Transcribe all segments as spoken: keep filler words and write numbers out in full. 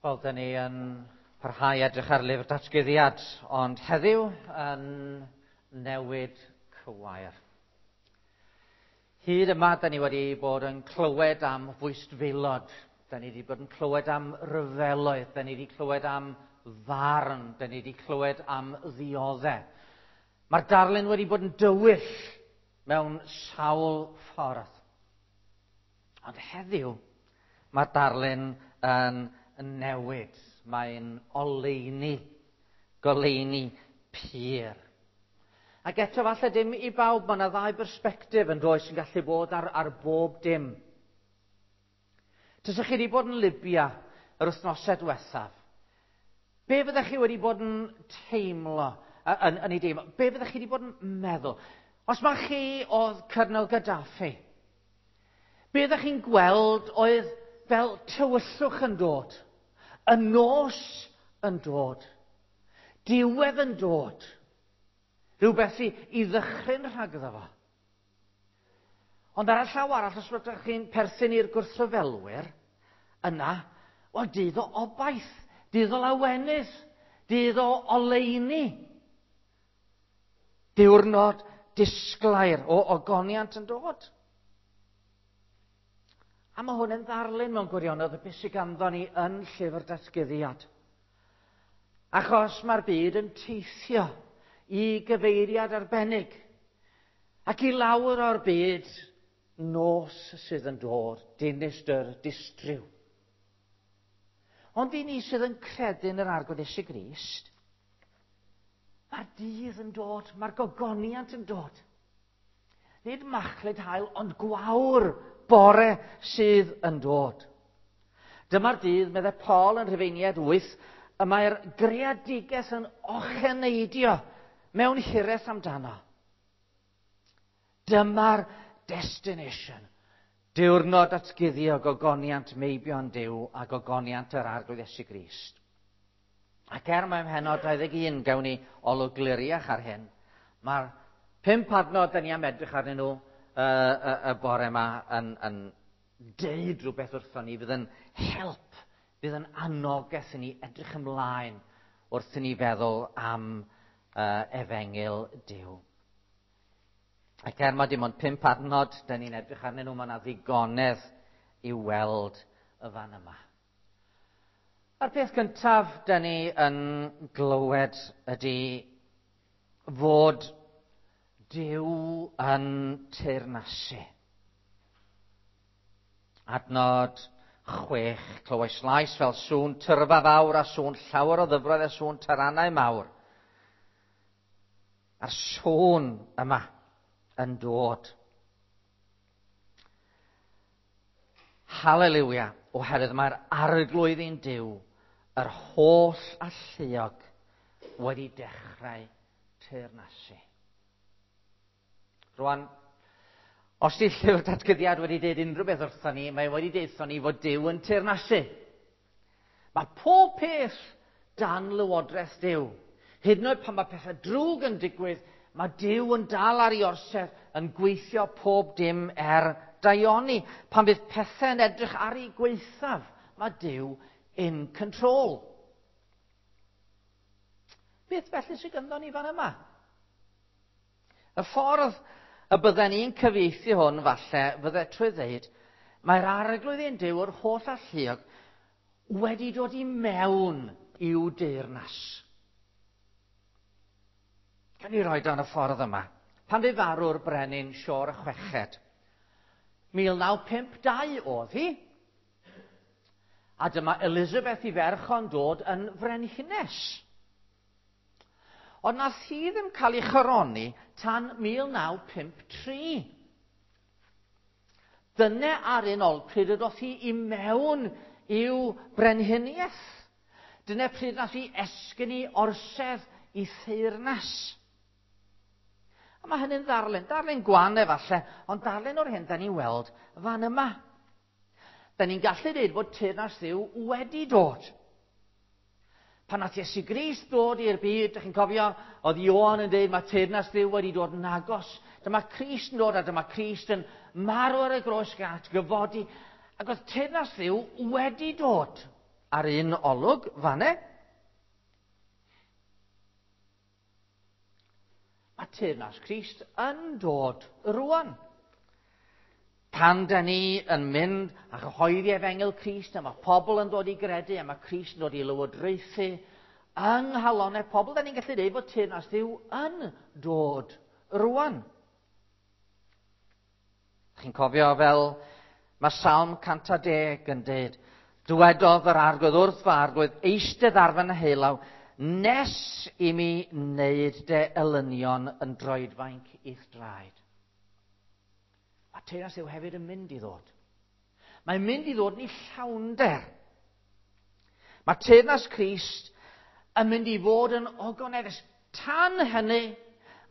Wel, dyn ni yn parhau edrych ar lyfr datguddiad, ond heddiw yn newid cywair. Hyd yma, dyn ni wedi bod yn clywed am fwystfilod, dyn ni wedi bod yn clywed am ryfeloedd, dyn ni wedi clywed am farn, dyn ni wedi clywed am ddioddau. Mae'r darlun wedi bod yn dywyll mewn sawl ffordd. Ond heddiw, mae'r darlun yn newid. Mae'n oleuni, goleuni pur. Ac eto falle dim i bawb, mae yna ddau bersbectif yn does sy'n gallu bod ar, ar bob dim. Tysach chi wedi bod yn Libya yr wythnosau diwethaf, be fyddech chi wedi bod yn teimlo, yn, yn ei deimlo? Be fyddech chi wedi bod yn meddwl? Os mae chi oedd Colonel Gaddafi, be ydych chi'n gweld oedd fel tywyllwch yn dod, y nos yn dod, diwedd yn dod, rhywbeth i, i ddychryn rhagddo fo. Ond ar y llaw arall, os ydych chi'n perthyn i'r gwrthryfelwyr, yna, wel, dydd o obaith, dydd o lawenydd, dydd o oleuni. Diwrnod disglair o ogoniant yn dod. A mae hwn yn ddarlun mewn gwirionedd o beth sydd ganddo ni yn llyfr datguddiad. Achos mae'r byd yn teithio i gyfeiriad arbennig. Ac i lawr o'r byd, nos sydd yn dod, dinistr, distryw. Ond i ni sydd yn credu yn yr Arglwydd Iesu Grist, mae'r dydd yn dod, mae'r gogoniant yn dod. Nid machlud haul, ond gwawr bore sydd yn dod. Dyma'r dydd, meddai Paul yn Rhufeiniaid wyth, y mae'r greadigaeth yn ocheneidio mewn hiraeth amdano. Dyma'r destination. Diwrnod atguddio gogoniant meibion Duw a gogoniant yr Arglwydd Iesu Grist. Ac er mae mhenod dau ddeg un gawn ni olwg gliriach ar hyn, mae'r pump adnod da ni am edrych arnyn nhw y, y, y bore yma yn, yn deud rhywbeth wrthon ni fydd yn help, fydd yn anogaeth i ni edrych ymlaen wrth i ni feddwl am uh, efengyl Duw. Ac er mae dim ond pump adnod da ni'n edrych arnyn nhw, mae yna ddigonedd i weld y fan yma. A'r peth cyntaf da ni yn glywed ydy fod Duw yn teyrnasu. Adnod chwech, clywais lais fel sŵn tyrfa fawr a sŵn llawer o ddyfroedd a sŵn taranau mawr. A'r sŵn yma yn dod. Haleliwia, oherwydd mae'r Arglwydd ein Duw, yr holl alluog, wedi dechrau teyrnasu. Rwan, os di llyfr datguddiad wedi dweud unrhyw beth wrthon ni, mae wedi deud wrthon ni fod Duw yn teyrnasu. Mae pob peth dan lywodraeth Duw. Hyd yn oed pan mae pethau drwg yn digwydd, mae Duw yn dal ar ei orsedd yn gweithio pob dim er daioni. Pan fydd pethau'n edrych ar ei gwaethaf, mae Duw in control. Beth felly sydd ganddo ni fan yma? Y ffordd y bydden ni'n cyfieithu hwn falle fydde trwy ddeud, mae'r Arglwydd ein Duw yr holl alluog wedi dod i mewn i'w deyrnas. Gan i roi dan y ffordd yma. Pan fu farw'r brenin Siôr y Chweched, mil naw pump dau oedd hi, a dyma Elizabeth i ferch o'n dod yn frenhines. Ond nath hi ddim cael ei choroni tan mil naw pump tri. Dyna ar un ôl pryd yddoth hi i mewn i'w brenhiniaeth. Dyna pryd nath hi esgyn i orsedd i theyrnas. A mae hynny'n ddarlun, darlun gwan efallai, ond darlun o'r hyn da ni'n weld fan yma. Da ni'n gallu dweud bod teyrnas Dduw wedi dod. Pan nath Iesu Grist dod i'r byd, dych chi'n cofio, oedd Ioan yn dweud mae teyrnas Dduw wedi dod yn agos. Dyma Crist yn dod a dyma Crist yn marw ar y groes gat, gyfodi. Ac oedd teyrnas Dduw wedi dod. ar un olwg fanne. Mae teyrnas Crist yn dod rwan. Pan da ni yn mynd a chyhoeddi efengyl Crist, a mae pobl yn dod i gredu, a mae Crist yn dod i lywodraethu yng nghalonnau pobl, da ni'n gallu dweud bod teyrnas Dduw yn dod rwan. Chi'n cofio fel mae Salm cant a deg yn dweud, dywedodd yr Arglwydd wrth fy Arglwydd, eistedd ar fy nheulaw, nes i mi wneud dy elynion yn droedfainc i'th draed. Mae teyrnas Dduw hefyd yn mynd i ddod. Mae'n mynd i ddod yn ei llawnder. Mae teyrnas Crist yn mynd i fod yn ogoneddus. Tan hynny,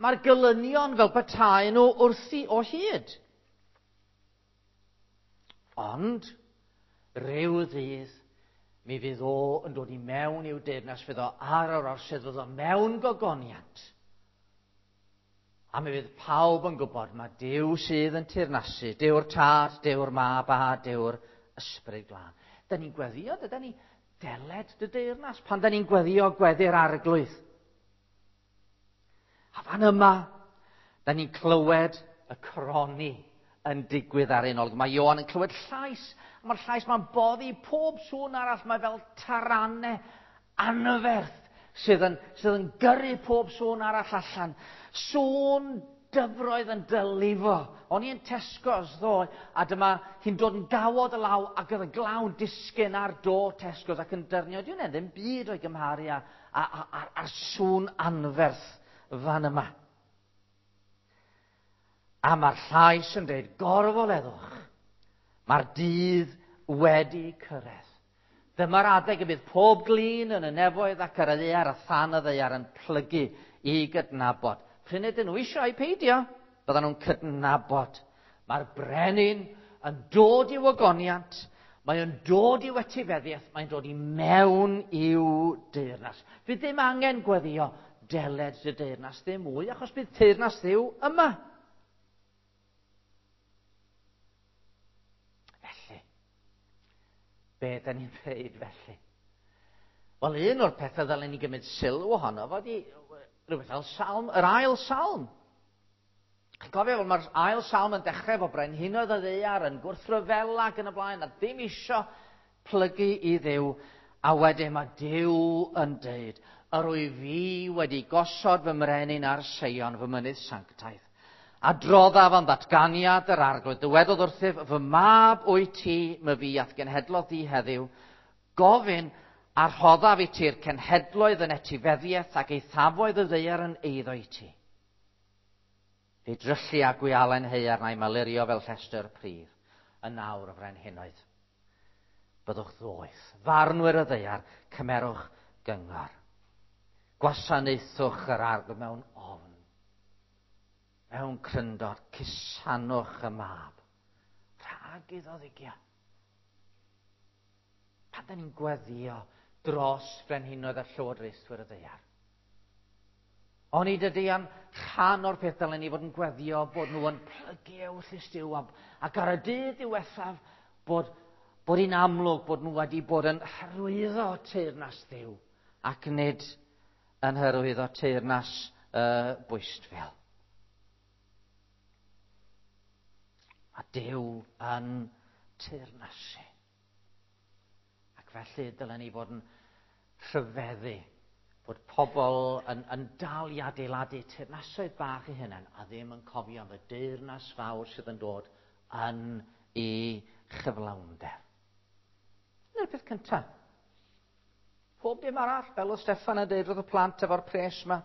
mae'r gelynion fel petai nhw wrthi o hyd. Ond, rhyw ddydd, mi fydd o yn dod i mewn i'w deyrnas, fydd o ar yr orsedd, fydd o mewn gogoniant. A mi fydd pawb yn gwybod mae Duw sydd yn teyrnasu, Duw'r Tad, Duw'r Mab a Duw'r Ysbryd Glân. Da ni'n gweddio, da ni deled dy deyrnas, pan da ni'n gweddio gweddi'r Arglwydd. A fan yma, da ni'n clywed y croni yn digwydd ar un olwg. Mae Ioan yn clywed llais, a mae'r llais ma'n boddi pob sŵn arall, mae fel taranau anferth sydd yn, sydd yn gyrru pob sŵn arall allan. Sŵn dyfroedd yn dylifo. O'n i yn Tesco's ddoe, a dyma hi'n dod yn gawod y law, ac oedd y glaw'n disgyn ar do Tesco's ac yn dyrnio. Dwi'n e ddim byd o'i gymharu â, a, a, a, a'r sŵn anferth fan yma. A mae'r llais yn dweud, gorfoleddwch, mae'r dydd wedi cyrraedd. Dyma'r adeg y bydd pob glin yn y nefoedd ac ar y ddaear a than y ddaear yn plygu i gydnabod. Pryn ydyn nhw eisiau peidio, byddan nhw'n cydnabod. Mae'r brenin yn dod i'w ogoniant, mae o'n dod i'w etifeddiaeth, mae'n dod i mewn i'w deyrnas. Fydd ddim angen gweddio deled dy deyrnas ddim mwy, achos bydd teyrnas Dduw yma. Felly, be da ni'n dweud felly? Wel, un o'r pethau ddylen ni gymryd sylw ohono fod i rhywbeth fel salm, yr ail salm. Chi'n cofio, fel mae'r ail salm yn dechrau efo brenhinoedd y ddaear yn gwrthryfela ac yn y blaen, a ddim isio plygu i Dduw, a wedyn mae Duw yn deud, yr wyf fi wedi gosod fy mrenin ar Seion, fy mynydd sanctaidd. Adroddaf am ddatganiad yr Arglwydd, dywedodd wrthyf, fy mab wyt ti, my fi a'th genhedlodd di heddiw, gofyn a rhoddaf i ti'r cenhedloedd yn etifeddiaeth ac eithafoedd y ddaear yn eiddo i ti. Fe dryllu a gwialen haearn a'i malurio fel llestr pridd, yn awr y frenhinoedd. Byddwch ddoeth, farnwyr y ddaear, cymerwch gyngor. Gwasanaethwch yr Arglwydd mewn ofn. Mewn cryndod, cusanwch y mab, rhag iddo ddigio. Pan da ni'n gweddio dros frenhinoedd a llywodraethwyr y ddaear. Onid ydy yn rhan o'r peth dylen ni fod yn gweddio bod nhw yn plygu ewyllys Duw ac ar y dydd diwethaf bod, bod hi'n amlwg bod nhw wedi bod yn hyrwyddo teyrnas Dduw ac nid yn hyrwyddo teyrnas uh, bwystfil. A Duw yn teyrnasu. Ac felly dylen ni fod yn rhyfeddu bod pobl yn, yn dal i adeiladu teyrnasoedd bach eu hunain a ddim yn cofio am y deyrnas fawr sydd yn dod yn ei chyflawnder. Dyna'r peth cyntaf. Pob dim arall, fel oedd Steffan yn dweud wrth y plant efo'r pres yma,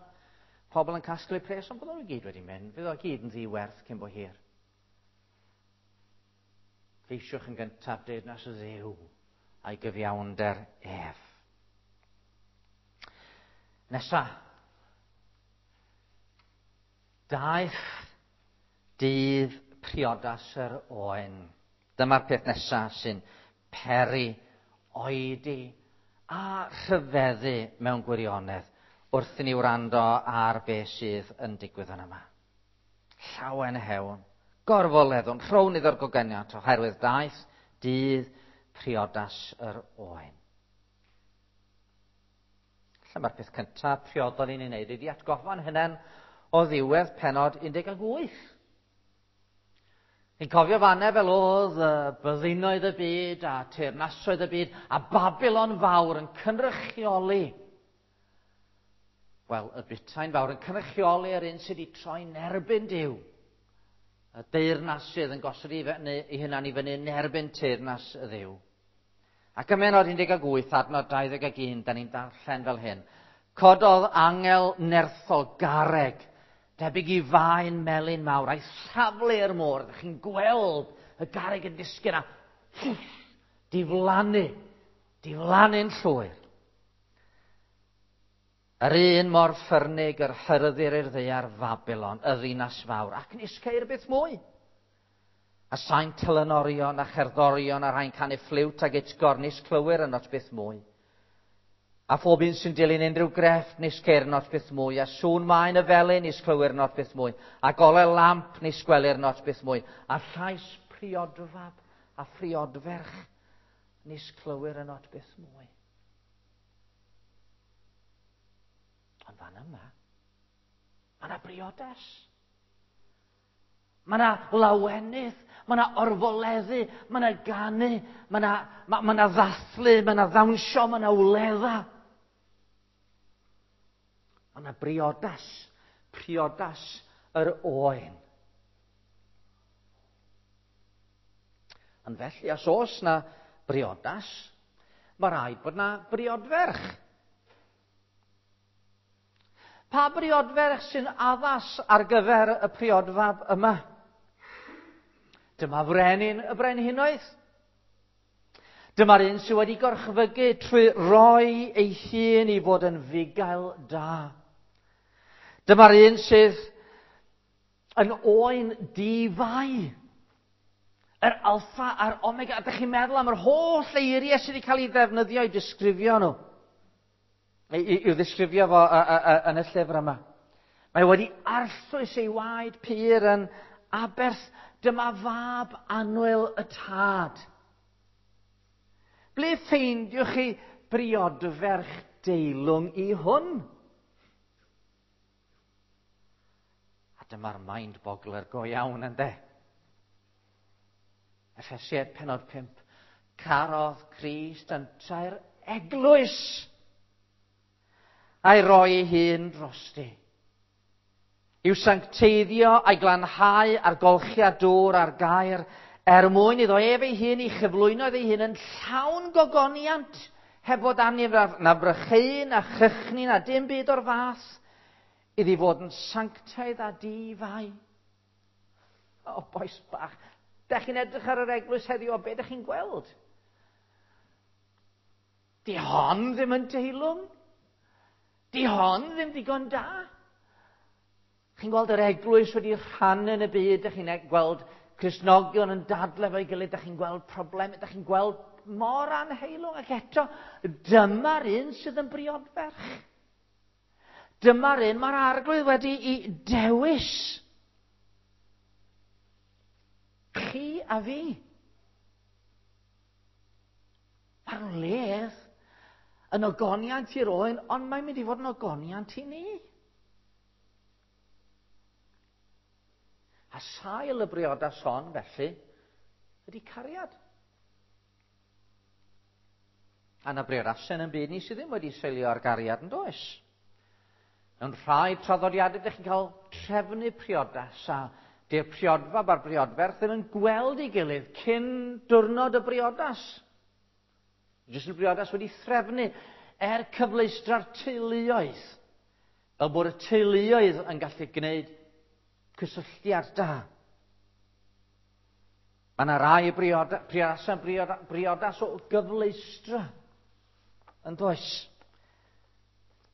pobl yn casglu pres, ond bydden nhw gyd wedi mynd, fydd o gyd yn ddiwerth cyn bo hir. Ceisiwch yn gyntaf deyrnas y Dduw a'i gyfiawnder ef. Nesa, daeth dydd priodas yr oen. Dyma'r peth nesaf sy'n peri oedi a rhyfeddu mewn gwirionedd wrth i ni wrando ar beth sydd yn digwydd yn yma. Llawen hewn, gorfoleddwn, rhown iddo'r gogoniant oherwydd daeth dydd priodas yr oen. Falle mae'r peth cyntaf priodol i ni'n neud ydy atgoffa'n hunain o ddiwedd pennod un deg wyth. Ni'n cofio fanne fel oedd byddinoedd y byd a teyrnasoedd y byd a Babilon fawr yn cynrychioli, wel, y butain fawr yn cynrychioli yr un sydd wedi troi'n erbyn Duw. Y deyrnas sydd yn gosod ei fyny, ei hunan i fyny yn erbyn teyrnas y Dduw. Ac ym mhennod un deg wyth, adnod dau ddeg un, da ni'n darllen fel hyn. Cododd angel nerthol garreg, debyg i faen melyn mawr, a'i thaflu i'r môr. Ydych chi'n gweld y garreg yn disgyn a diflannu, diflannu'n llwyr. Yr un mor ffyrnig yr hyrddir i'r ddaear Fabilon, y ddinas fawr, ac nis ceir byth mwy. A sain telynorion a cherddorion a rhai'n canu ffliwt ag utgorn, nis clywir ynot byth mwy. A phob un sy'n dilyn unrhyw grefft, nis ceir ynot byth mwy. A sŵn maen y felin, nis clywir ynot byth mwy. A golau lamp, nis gwelir ynot byth mwy. A llais priodfab a phriodferch, nis clywir ynot byth mwy. Ond fan yma, mae yna briodas. Mae yna lawenydd, mae yna orfoleddu, mae yna ganu, mae yna, ma, ma yna ddathlu, mae yna ddawnsio, mae yna wledda. Mae yna briodas, priodas yr oen. Ond felly, os oes na briodas, mae rhaid bod na briodferch. Pa briodferch sy'n addas ar gyfer y priodfab yma? Dyma frenin y brenhinoedd. Dyma'r un sydd wedi gorchfygu trwy roi ei hun i fod yn fugail da. Dyma'r un sydd yn oen di-fai. Yr alffa a'r omega. Ydych chi'n meddwl am yr holl eiriau sydd wedi cael ei ddefnyddio i disgrifio nhw? I'w ddisgrifio fo yn y llyfr yma. Mae wedi arllwys ei waed pur yn aberth. Dyma fab annwyl y tad. Ble ffeindiwch chi briodferch deilwng i hwn? A dyma'r mind boggler go iawn, ynde? Effesiaid pennod pump. Carodd Crist yntau'r eglwys a'i roi ei hun drosti. I'w sancteiddio a'i glanhau a'r golchiad dŵr a'r gair, er mwyn iddo ef ei hun i chyflwyno ei hun yn llawn gogoniant, heb fod arni na brycheu, na chychni, na dim byd o'r fath, iddi fod yn sanctaidd a di-fai. O, bois bach, dach chi'n edrych ar yr eglwys heddiw, o be dach chi'n gweld? Di hon ddim yn deilwng. Di hon ddim digon da. Chi'n gweld yr eglwys wedi rhannu yn y byd, dach chi'n gweld Cristnogion yn dadlau efo'i gilydd, dach chi'n gweld problemau, dach chi'n gweld mor anheilwng, ac eto, dyma'r un sydd yn briodferch. Dyma'r un mae'r Arglwydd wedi i dewis. Chi a fi. Mae'r wledd yn ogoniant i'r oen, ond mae'n mynd i fod yn ogoniant i ni. A sail y briodas hon, felly, ydy cariad. A na briodasau yn byd ni sydd ddim wedi seilio ar gariad yn does. Mewn rhai traddodiadau, ydych chi'n cael trefnu priodas a di'r priodfab a'r briodferch ddim yn gweld ei gilydd cyn diwrnod y briodas. Jyst y briodas wedi threfnu er cyfleustra'r teuluoedd, fel bod y teuluoedd yn gallu gwneud cysylltiad da. Mae yna rai brioda, priodasau brioda, briodas o gyfleustra, yn does?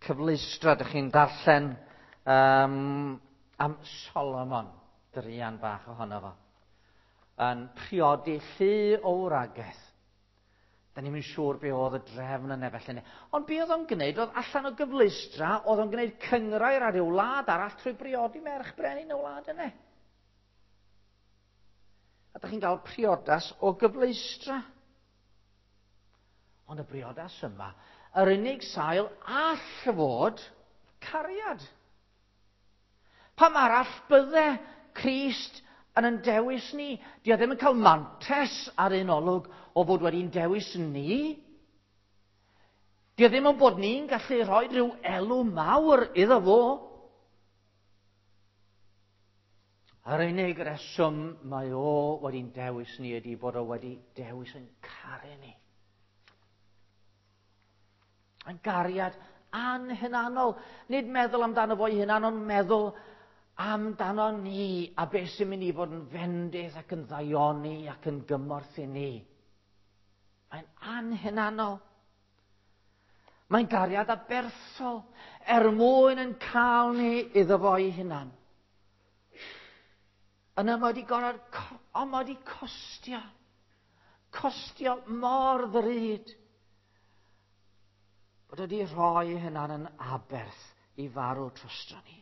Cyfleustra, ydych chi'n darllen um, am Solomon, druan bach ohono fo, yn priodi llu o wragedd. Da ni'm yn siŵr be oedd y drefn yna felly. Ond be oedd o'n gwneud, oedd allan o gyfleustra, oedd o'n gwneud cynghrair ar ryw wlad arall trwy briodi merch brenin y wlad yna. A da chi'n cael priodas o gyfleustra. Ond y briodas yma Yr unig sail all fod cariad. Pam arall bydde Crist yn yn dewis ni? Di o ddim yn cael mantes ar un olwg o fod wedi'n dewis ni. Di o ddim yn bod ni'n gallu rhoi rhyw elw mawr iddo fo. Yr unig reswm mae o wedi'n dewis ni ydy bod o wedi dewis yn caru ni. Yn gariad anhunanol. Nid meddwl amdano fo'i hunan, ond meddwl amdano ni a beth sy'n mynd i fod yn fendith ac yn ddaioni ac yn gymorth i ni. Mae'n anhunanol. Mae'n gariad aberthol er mwyn yn cael ni iddo fo'i hunan. Yna mae wedi gorfod, ond mae wedi costio. Costio mor ddrud. Bod wedi rhoi hunan yn aberth i farw drosto ni.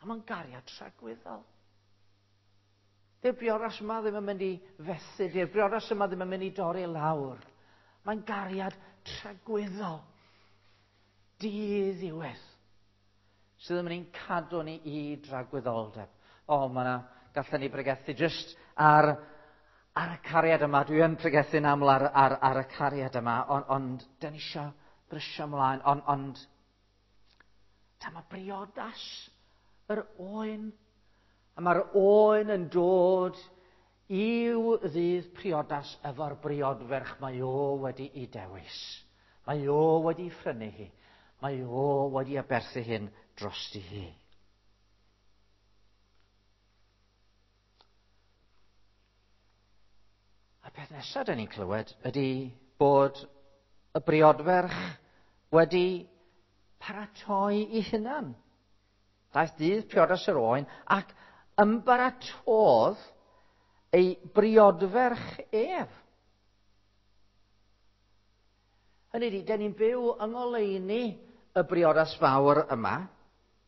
A mae'n gariad tragwyddol. Dyw'r briodas yma ddim yn mynd i fethu, dyw'r briodas yma ddim yn mynd i dorri lawr. Mae'n gariad tragwyddol. Diddiwedd. Sydd yn mynd i'n cadw ni i dragwyddoldeb. O, mae yna, gallen ni bregethu jyst ar, ar y cariad yma. Dwi yn pregethu'n aml ar, ar, ar y cariad yma, ond, ond dyn ni eisiau brysio ymlaen. Ond, ond dyma briodas yr oen. A mae'r oen yn dod i'w ddydd priodas efo'r briodferch mae o wedi'i dewis. Mae o wedi phrynu hi. Mae o wedi aberthu hyn drosti hi. A'r peth nesaf dyn ni'n clywed ydy bod y briodferch wedi paratoi i hunan. Daeth dydd priodas yr oen ac ymbaratodd ei briodferch ef. Hynny ydy, dyn ni'n byw yng ngoleuni y briodas fawr yma.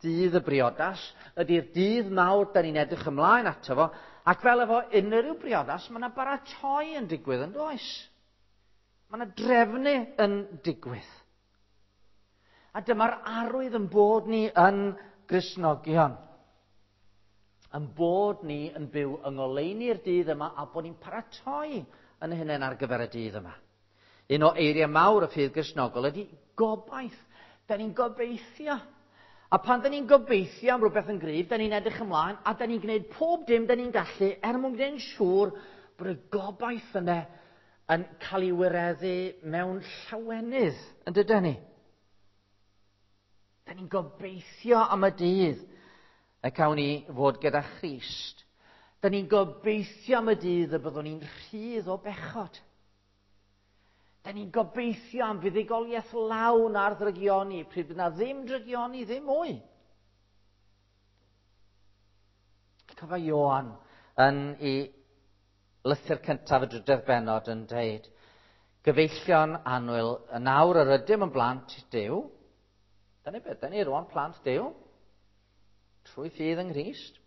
Dydd y briodas ydy'r dydd mawr dyn ni'n edrych ymlaen ato fo. Ac fel efo unrhyw briodas, mae yna baratoi yn digwydd yn does. Mae yna drefnu yn digwydd. A dyma'r arwydd yn bod ni yn Gristnogion. Yn bod ni yn byw yng ngoleuni'r dydd yma a bod ni'n paratoi yn hunain ar gyfer y dydd yma. Un o eiriau mawr y ffydd Gristnogol ydy gobaith. Da ni'n gobeithio. A pan da ni'n gobeithio am rhywbeth yn gryf, da ni'n edrych ymlaen a da ni'n gwneud pob dim da ni'n gallu er mwyn gwneud yn siŵr bod y gobaith yna yn cael ei wireddu mewn llawenydd, yn dydyn ni? Da ni'n gobeithio am y dydd y cawn ni fod gyda Christ. Da ni'n gobeithio am y dydd y byddwn ni'n rhydd o bechod. Da ni'n gobeithio am fuddugoliaeth lawn ar ddrygioni, pryd bydd na ddim drygioni, ddim mwy. Cyfa Ioan yn ei lythyr cyntaf y drydedd bennod yn dweud, gyfeillion annwyl, yn awr yr ydym yn blant Duw. Dyna beth, dyna ni rwan plant Duw, trwy ffydd yng Nghrist.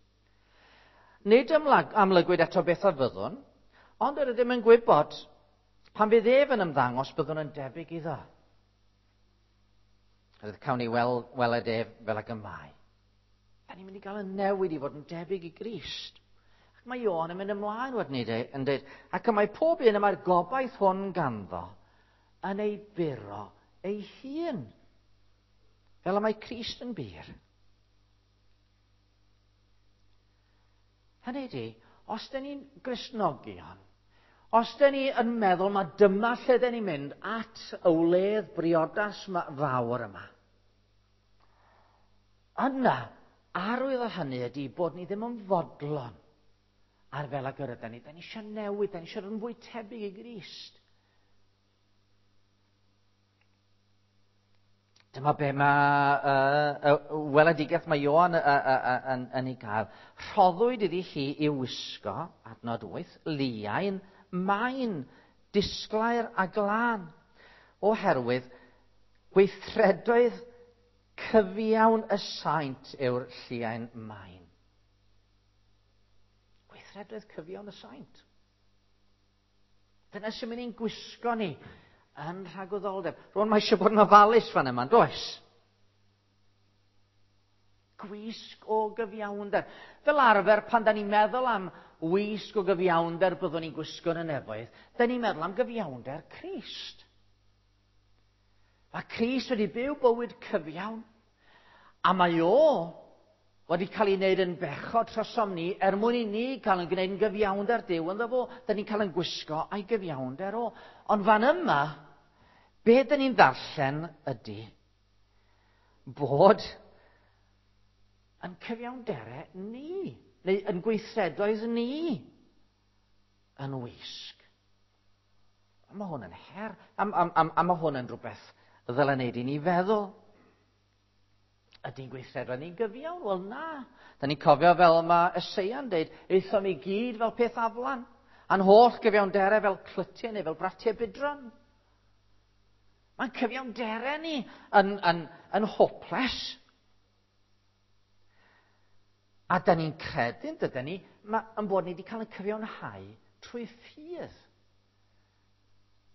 Nid amlygwyd eto beth a fyddwn, ond yr ydym yn gwybod pan fydd ef yn ymddangos, byddwn yn debyg iddo. Rydw cawn ni wel, weled ef fel ag y mae. Da ni'n mynd i gael y newid i fod yn debyg i Grist. Ac mae Ioan yn mynd ymlaen wedyn ni yn dweud, ac y mae pob un y mae'r gobaith hwn ganddo yn ei buro ei hun. Fel y mae Crist yn bur. Hynny ydy, os da ni'n Gristnogion, os da ni yn meddwl mae dyma lle da ni'n mynd at y wledd briodas fawr yma, yna, arwydd o hynny ydy bod ni ddim yn fodlon ar fel ag yr ydyn ni. Da ni eisiau newid, da ni eisiau dod yn fwy tebyg i Grist. Dyma be mae uh, uh, weledigaeth mae Ioan uh, uh, uh, yn, yn ei gael. Rhoddwyd iddi hi i'w wisgo, adnod wyth, liain, main, disglair a glân, oherwydd gweithredoedd cyfiawn y saint yw'r lliain main. Gweithredoedd cyfiawn y saint. Dyna sy'n mynd i'n gwisgo ni Yn rhagwyddoldeb. Rwan mae eisiau bod yn ofalus fan yma, does? Gwisg o gyfiawnder. Fel arfer, pan da ni'n meddwl am wisg o gyfiawnder byddwn ni'n gwisgo yn y nefoedd, da ni'n meddwl am gyfiawnder Crist. Mae Crist wedi byw bywyd cyfiawn, a mae o wedi cael ei wneud yn bechod trosom ni, er mwyn i ni cael yn gwneud yn gyfiawnder Duw ynddo fo. Da ni'n cael yn gwisgo a'i gyfiawnder o. Ond fan yma, be da ni'n ddarllen ydy bod yn cyfiawnderau ni, neu yn gweithredoedd ni, yn wisg. A mae hwn yn her, a, a, a, a mae hwn yn rhywbeth ddylai wneud i ni feddwl. Ydy'n gweithredoedd ni'n gyfiawn? Wel na. Da ni'n cofio fel mae Eseia'n deud, aethom i gyd fel peth aflan, a'n holl gyfiawnderau fel clytiau neu fel bratiau budron. Mae'n cyfiawnderau ni yn, yn, yn hopeless. A da ni'n credu, dydyn ni, yn bod ni wedi cael ein cyfiawnhau trwy ffydd.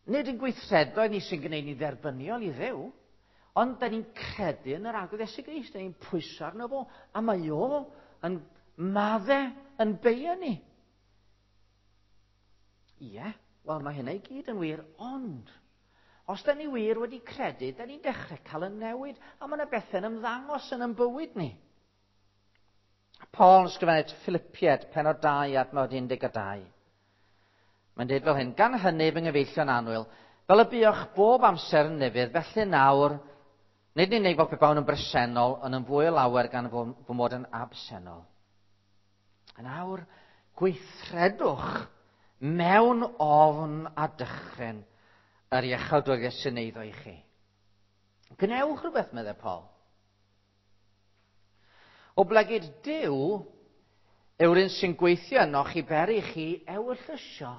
Nid yn gweithredoedd ni sy'n gwneud ni dderbyniol i Dduw, ond da ni'n credu yn yr Arglwydd Iesu Grist, da ni'n pwyso arno fo, a mae o yn madde yn beio ni. Ie, wel mae hynna i gyd yn wir, ond os da ni wir wedi credu, da ni'n dechrau cael y newid, a mae yna bethau'n ymddangos yn ein bywyd ni. Paul yn ysgrifennu at Philippiaid, pennod dau, adnod un deg dau. Mae'n dweud fel hyn, gan hynny fy nghyfeillion annwyl, fel y buoch bob amser yn ufudd, felly nawr, nid yn unig fel pe bawn yn bresennol, ond yn fwy o lawer gan fy mod yn absennol. Yn awr, gweithredwch mewn ofn a dychryn yr iachawdwriaeth sy'n eiddo i chi. Gwnewch rhywbeth, meddai Paul. Oblegid Duw yw'r un sy'n gweithio ynoch i beri chi ewyllysio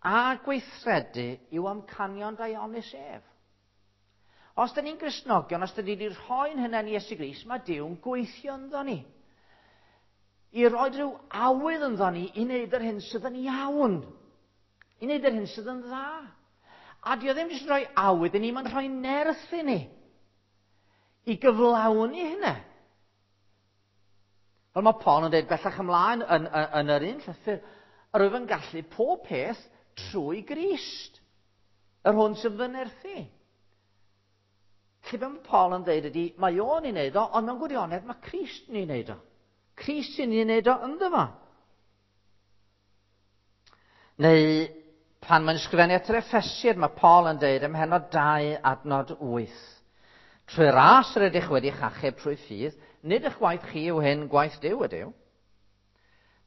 a gweithredu i'w amcanion daionus ef. Os da ni'n Gristnogion, os da ni wedi rhoi'n hunain i Iesu Grist, mae Duw'n gweithio ynddo ni. I roi rhyw awydd ynddo ni i wneud yr hyn sydd yn iawn. I wneud yr hyn sydd yn dda. A dio ddim jyst yn rhoi awydd i ni, mae'n rhoi nerth i ni. I gyflawni hynna. Fel mae Paul yn dweud bellach ymlaen yn, yn, yn yr un llythyr, yr wyf yn gallu pob peth trwy Grist, yr hwn sydd fy nerthu. Felly be mae Paul yn dweud ydy, mae o'n ei wneud o, ond mewn gwirionedd mae Crist yn ei wneud o. Crist sy'n ei wneud o ynddo fo. Neu pan mae'n ysgrifennu at yr Effesiaid, mae Paul yn dweud ym mhennod dau adnod wyth. Trwy ras yr ydych wedi'ch achub trwy ffydd, nid eich gwaith chi yw hyn, gwaith Duw ydyw.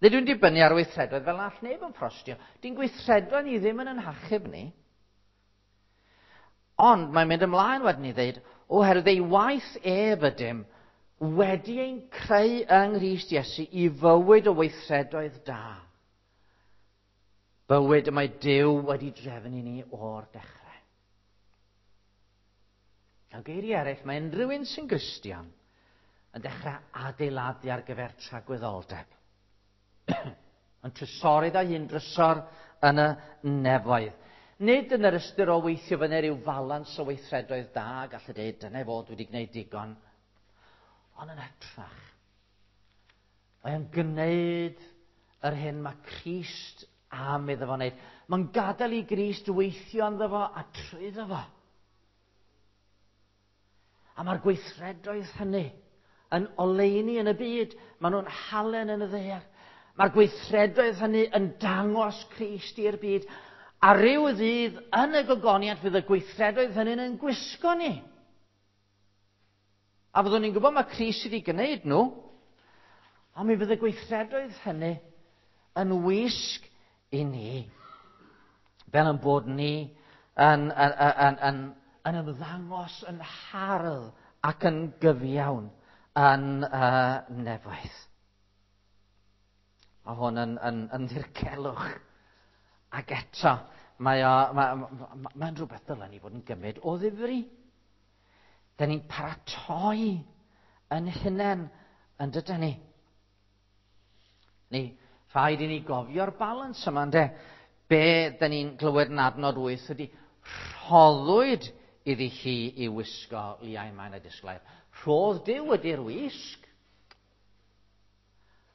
Nid yw'n dibynnu ar weithredoedd fel all neb yn ffrostio. Di'n gweithredoedd ni ddim yn ein hachub ni. Ond mae'n mynd ymlaen wedyn i ddeud, oherwydd ei waith ef ydym wedi ein creu yng Nghrist Iesu i fywyd o weithredoedd da. Bywyd y mae Duw wedi drefnu ni o'r dechrau. Mewn geiriau eraill, mae unrhyw un sy'n Gristion yn dechrau adeiladu ar gyfer tragwyddoldeb. Yn trysorydd â hun drysor yn y nefoedd. Nid yn yr ystyr o weithio fyny rhyw falans o weithredoedd da, gallu dweud, dyna fod wedi gwneud digon. Ond yn hytrach, mae'n gwneud yr hyn mae Crist am iddo fo wneud. Mae'n gadael i Grist weithio ynddo fo a trwyddo fo. A mae'r gweithredoedd hynny yn oleuni yn y byd. Maen nhw'n halen yn y ddaear. Mae'r gweithredoedd hynny yn dangos Crist i'r byd. A ryw ddydd yn y gogoniant fydd y gweithredoedd hynny'n yn gwisgo ni. A fyddwn ni'n gwybod mae Crist wedi gwneud nhw, ond mi fydd y gweithredoedd hynny yn wisg i ni. Fel yn bod ni yn, yn, yn, yn, yn ymddangos yn hardd ac yn gyfiawn yn uh, nefoedd. Mae hwn yn, yn, yn ddirgelwch. Ac eto, mae o, mae, mae, mae'n rhywbeth dylen ni fod yn gymryd o ddifri. Da ni'n paratoi yn hunain yn dydyn ni. Ni, rhaid i ni gofio'r balans yma, ynde? Be da ni'n glywed yn adnod wyth ydy Rhoddwyd iddi hi i wisgo liain main a disglair. Rhodd Duw ydy'r wisg.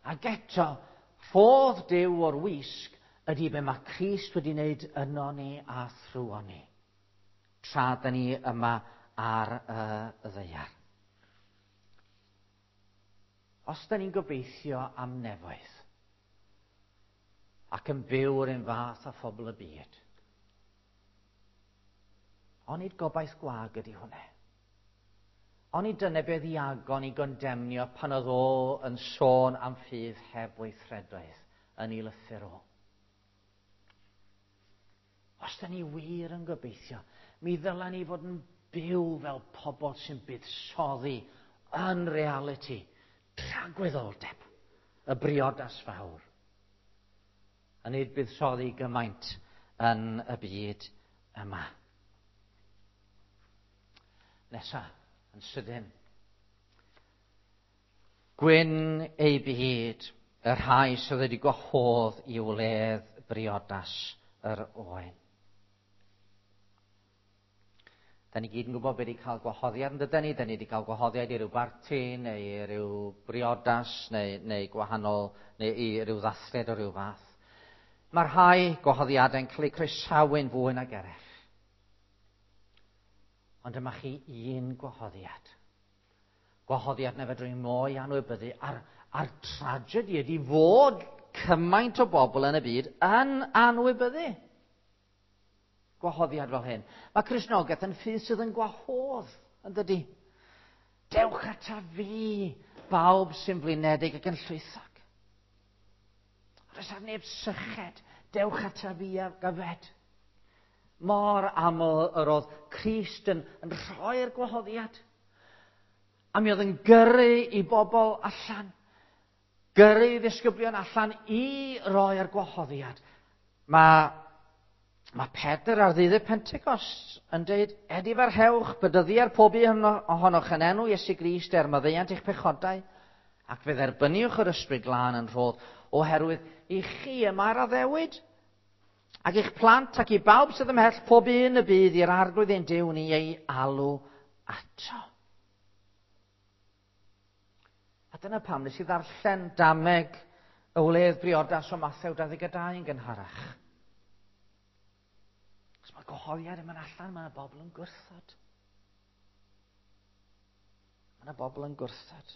Ac eto, rhodd Duw o'r wisg ydy be mae Crist wedi wneud yno ni a thrwon ni. Tra da ni yma ar y ddaear. Os da ni'n gobeithio am nefoedd ac yn byw yr un fath â phobl y byd, onid gobaith gwag ydy hwnna? Onid dyna beth Iagon i gondemnio pan oedd o yn sôn am ffydd heb weithredoedd yn ei lythyr o? Os da ni wir yn gobeithio, mi ddylen ni fod yn byw fel pobl sy'n buddsoddi yn realiti, tragwyddoldeb, y briodas fawr. A nid buddsoddi gymaint yn y byd yma. Nesa, yn sydyn. Gwyn ei byd, y rhai sydd wedi gwahodd i wledd briodas yr oen. Da ni gyd yn gwybod beth i cael gwahoddiad, yn dydyn ni? Da ni wedi cael gwahoddiad i ryw barti, neu i ryw briodas, neu, neu gwahanol, neu i ryw ddathliad o ryw fath. Mae rhai gwahoddiadau'n cael eu croesawu'n fwy nag eraill. Ond dyma chi un gwahoddiad. Gwahoddiad na fedrwn ni mo'i anwybyddu. A'r, a'r tragedy ydy fod cymaint o bobl yn y byd yn anwybyddu gwahoddiad fel hyn. Mae Cristnogaeth yn ffydd sydd yn gwahodd, yn dydy? Dewch ata fi, bawb sy'n flinedig ac yn llwythog. Oes ar neb syched, dewch ata fi a gyfed. Mor aml yr oedd Crist yn, yn rhoi'r gwahoddiad. A mi oedd yn gyrru i bobl allan. Gyrru i ddisgyblion allan i roi'r gwahoddiad. Mae, mae Pedr ar ddydd y Pentecost yn dweud, edifarhewch, bedyddier pob un ohonoch yn enw Iesu Grist er maddeuant eich pechodau, ac fe dderbyniwch yr Ysbryd Glân yn rhodd, oherwydd i chi y mae'r addewid, ac eich plant ac i bawb sydd ymhell pob un y bydd i'r Arglwydd ein Duw ni ei alw ato. A dyna pam nes i ddarllen dameg y wledd briodas o Mathew dau ddeg dau yn gynharach. Os mae gwahoddiad yn mynd allan, mae yna bobl yn gwrthod. Mae yna bobl yn gwrthod.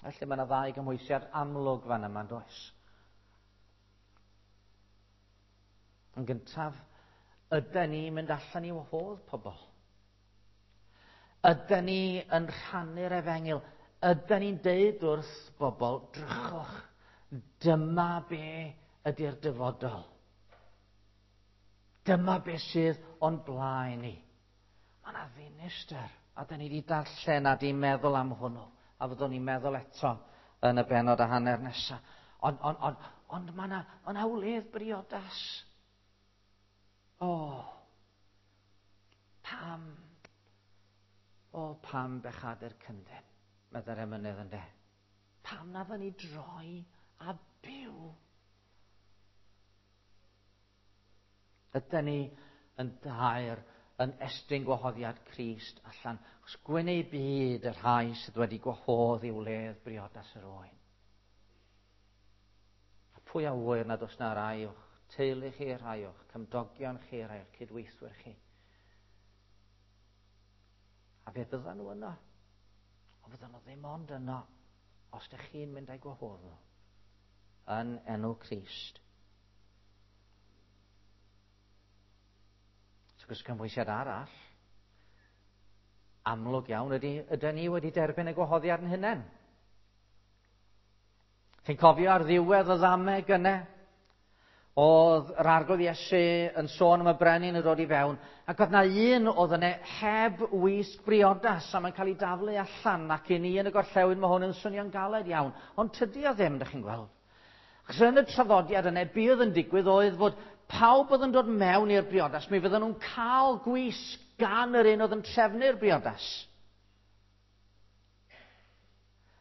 Felly mae yna ddau gymhwysiad amlwg fan yma, does? Yn gyntaf, ydy ni'n mynd allan i wahodd pobl? Ydy ni yn rhannu'r efengyl? Ydy ni'n deud wrth bobl, drychwch, dyma be ydy'r dyfodol. Dyma be sydd o'n blaen ni. Mae yna ddinistr, a da ni wedi darllen a di meddwl am hwnnw. A fyddwn ni'n meddwl eto yn y bennod a hanner nesaf. Ond on, on, ond mae yna ma 'na wledd briodas. O, pam? O, pam bechadu'r cyndyn, meddai'r emynydd ynde. Pam na fydden ni droi a byw? Ydyn ni yn daer yn estyn gwahoddiad Crist allan, achos gwyn eu byd y rhai sydd wedi gwahodd i wledd briodas yr oen. A pwy a ŵyr nad oes na rai o'ch teulu chi, rhai o'ch cymdogion chi, rhai o'ch cydweithwyr chi. A fe fyddan nhw yno. Ond fyddan nhw ddim ond yno os ydych chi'n mynd â'i gwahodd nhw. Yn enw Crist. Wrth gwrs, cymhwysiad arall, amlwg iawn ydy, ydyn ni wedi derbyn y gwahoddiad yn hunain. Chi'n cofio ar ddiwedd y ddameg yna? Oedd yr Arglwydd Iesu yn sôn am y brenin yn dod i fewn, ac oedd na un oedd yna heb wisg briodas, a mae'n cael ei daflu allan, ac i ni yn y gorllewin mae hwn yn swnio'n galed iawn. Ond tydi o ddim, dych chi'n gweld. Achos yn y traddodiad yna, be oedd yn digwydd oedd fod pawb oedd yn dod mewn i'r briodas, mi fydden nhw'n cael gwisg gan yr un oedd yn trefnu'r briodas.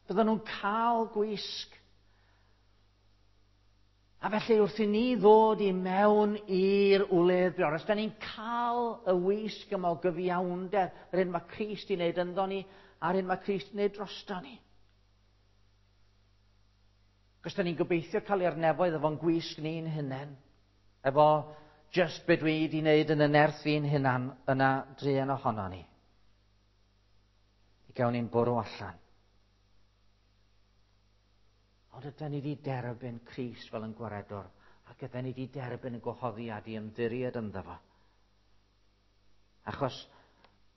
Fydden nhw'n cael gwisg. A felly wrth i ni ddod i mewn i'r wledd briodas, da ni'n cael y wisg yma o gyfiawnder, yr hyn mae Crist i wneud ynddo ni, a'r hyn mae Crist i wneud drosto ni. Cos da ni'n gobeithio cael i'r nefoedd efo'n gwisg ni'n hunain, efo just be dwi wedi wneud yn y nerth fi'n hunan, yna druan ohono ni. I gawn ni'n bwrw allan. Ond ydyn ni wedi derbyn Crist fel yn gwaredwr, ac ydyn ni wedi derbyn y gwahoddiad i ymddiried ynddo fo. Achos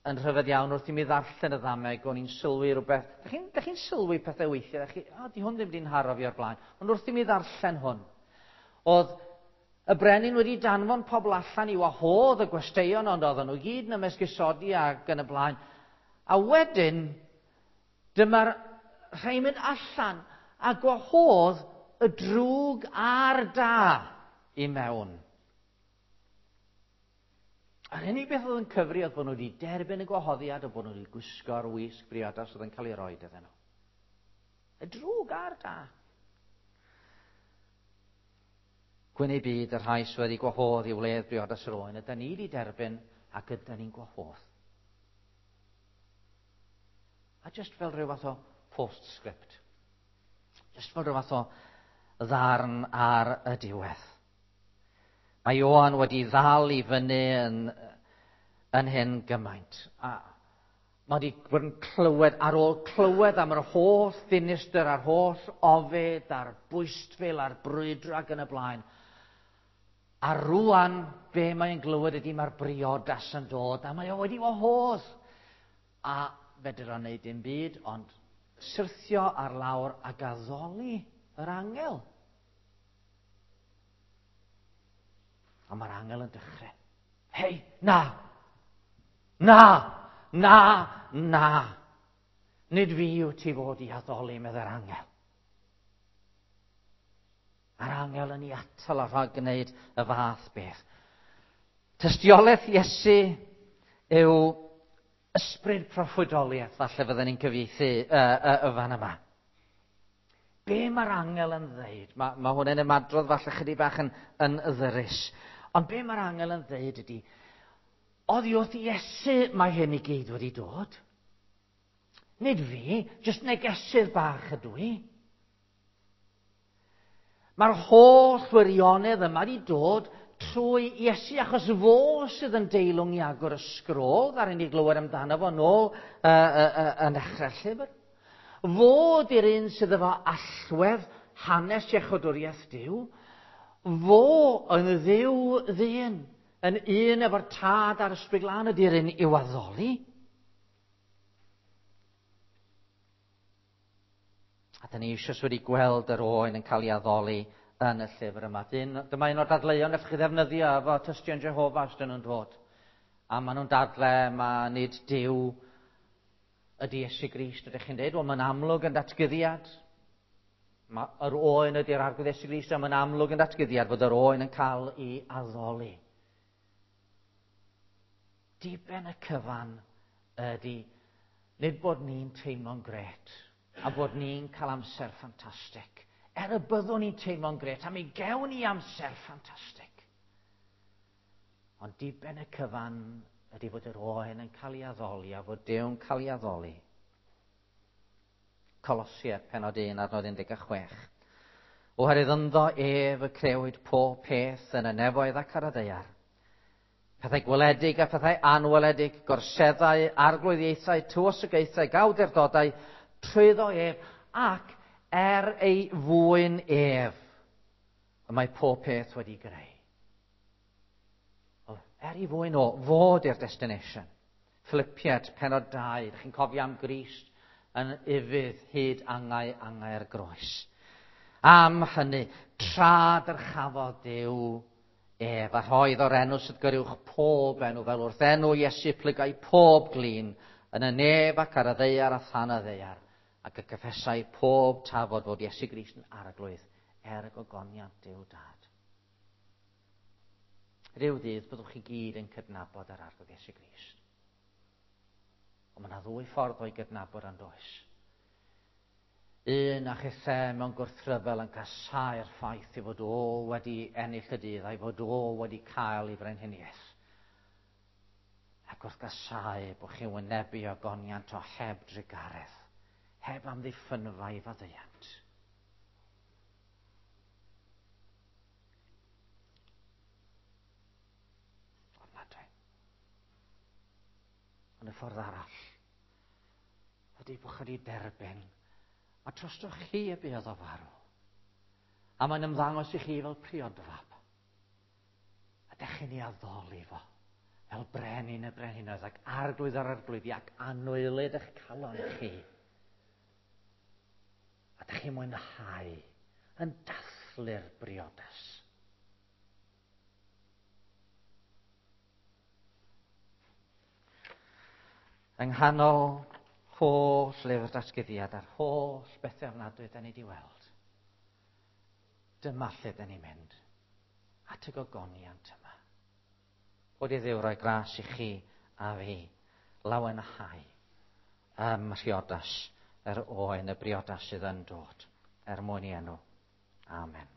yn rhyfedd iawn wrth i mi ddarllen y ddameg, o'n i'n sylwi rhywbeth. Dych chi'n chi sylwi pethau weithiau? Dych chi, o, di hwn ddim wedi'n haro fi o'r blaen. Ond wrth i mi ddarllen hwn, oedd y brenin wedi danfon pobl allan i wahodd y gwesteion, ond oedden nhw gyd yn ymesgusodi ac yn y blaen. A wedyn, dyma'r rhai mynd allan a gwahodd y drwg a'r da i mewn. A'r unig beth oedd yn cyfri oedd bod nhw wedi derbyn y gwahoddiad a bod nhw wedi gwisgo'r wisg briodas oedd yn cael ei roi iddyn nhw. Y drwg a'r da. Gwyn eu byd y rhai sydd wedi gwahodd i wledd briodas yr oen, ydy ni wedi derbyn ac ydy ni'n gwahodd. A just fel rhyw fath o postscript. Just fel rhyw fath o ddarn ar y diwedd. Mae Ioan wedi ddal i fyny yn, yn hyn gymaint. A mae wedi bod yn clywed, ar ôl clywed am yr holl ddinistr, a'r holl ofid, a'r bwystfil, a'r brwydro ac yn y blaen. A rwan, be mae'n glywed ydy mae'r briodas yn dod, a mae o wedi wahodd. A fedr o'n neud dim byd, ond syrthio ar lawr ac addoli yr angel. A mae'r angel yn dechrau. Hei, na! Na! Na! Na! Nid fi yw ti fod i addoli, meddai'r angel. A'r angel yn ei atal a rhag gwneud y fath beth. Tystiolaeth Iesu yw ysbryd proffwydoliaeth, falle fydden ni'n cyfieithu uh, uh, y fan yma. Be mae'r angel yn ddeud? Mae, mae hwn yn ymadrodd falle chydig bach yn, yn ddyrus. Ond be mae'r angel yn ddeud ydy, oddi wrth Iesu mae hyn i gyd wedi dod. Nid fi, jyst negesydd bach ydw i. Mae'r holl wirionedd yma wedi dod trwy Iesu, achos fo sydd yn deilwng i agor y sgrôl, ddaru ni glywed amdano fo nôl uh, uh, uh, yn dechrau'r llyfr. Fo di'r un sydd efo allwedd hanes iechydwriaeth Duw. Fo yn ddiw ddyn, yn un efo'r tad a'r Ysbryd Glân ydy'r un i'w addoli. A da ni eisoes wedi gweld yr oen yn cael ei addoli yn y llyfr yma. Dyn, dyma un o'r dadleuon allwch chi ddefnyddio efo tystion Jehofa os dyn nhw'n dod. A maen nhw'n dadle, ma nid Duw ydy Iesu Grist. Ydych chi'n dweud, wel mae'n amlwg yn datguddiad. Ma, yr oen ydy'r Arglwydd Iesu Grist, a mae'n amlwg yn datguddiad fod yr oen yn cael ei addoli. Diben y cyfan ydy nid bod ni'n teimlo'n gret a bod ni'n cael amser ffantastig. Er y byddwn ni'n teimlo'n gret, a mi gewn ni amser ffantastig. Ond diben y cyfan ydy fod yr oen yn cael ei addoli a fod Duw'n cael ei addoli. Colosiaid pennod un adnod un deg chwech. Oherwydd ynddo ef y crewyd pob peth yn y nefoedd ac ar y ddaear. Pethau gweledig a pethau anweledig, gorseddau, arglwyddiaethau, tywysogaethau, gawdurdodau, trwyddo ef ac er ei fwyn ef. Y mae pob peth wedi greu. Er ei fwyn o, fod i'r destination. Philippiaid, pennod dau, ydych chi'n cofio am Grist yn ufudd hyd angau angau'r groes. Am hynny, tra dyrchafodd Duw ef, a rhoedd o'r enw sydd gyriwch pob enw, fel wrth enw Iesu plygai pob glin, yn y nef ac ar y ddaear a than y ddaear, ac y cyffesai pob tafod fod Iesu Grist yn arglwydd er y gogoniant Duw Dad. Rhyw ddydd byddwch chi gyd yn cydnabod yr Arglwydd Iesu Grist. Ond mae yna ddwy ffordd o'i gydnabod yn does. Un a chithe mewn gwrthryfel yn casáu'r ffaith ei fod o wedi ennill y dydd a'i fod o wedi cael ei frenhiniaeth. Ac wrth gasáu bod chi'n wynebu ogoniant o heb drugaredd, heb amddiffynfa i faddeuant. Ofnadwy. Ond y ffordd arall ydy bod chi wedi derbyn a trostoch chi y buodd o farw. A mae'n ymddangos i chi fel priodfab. A dech chi'n ei addoli fo fel brenin y brenhinoedd ac arglwydd yr arglwyddi ac anwylyd eich calon chi. A dech chi'n mwynhau yn dathlu'r briodas. Yng nghanol holl lyfr datguddiad a'r holl bethau ofnadwy da ni wedi weld. Dyma lle da ni'n mynd. At y gogoniant yma. Bod i Dduw roi gras i chi a fi lawenhau ym mhriodas yr oen, y briodas sydd yn dod er mwyn i enw. Amen.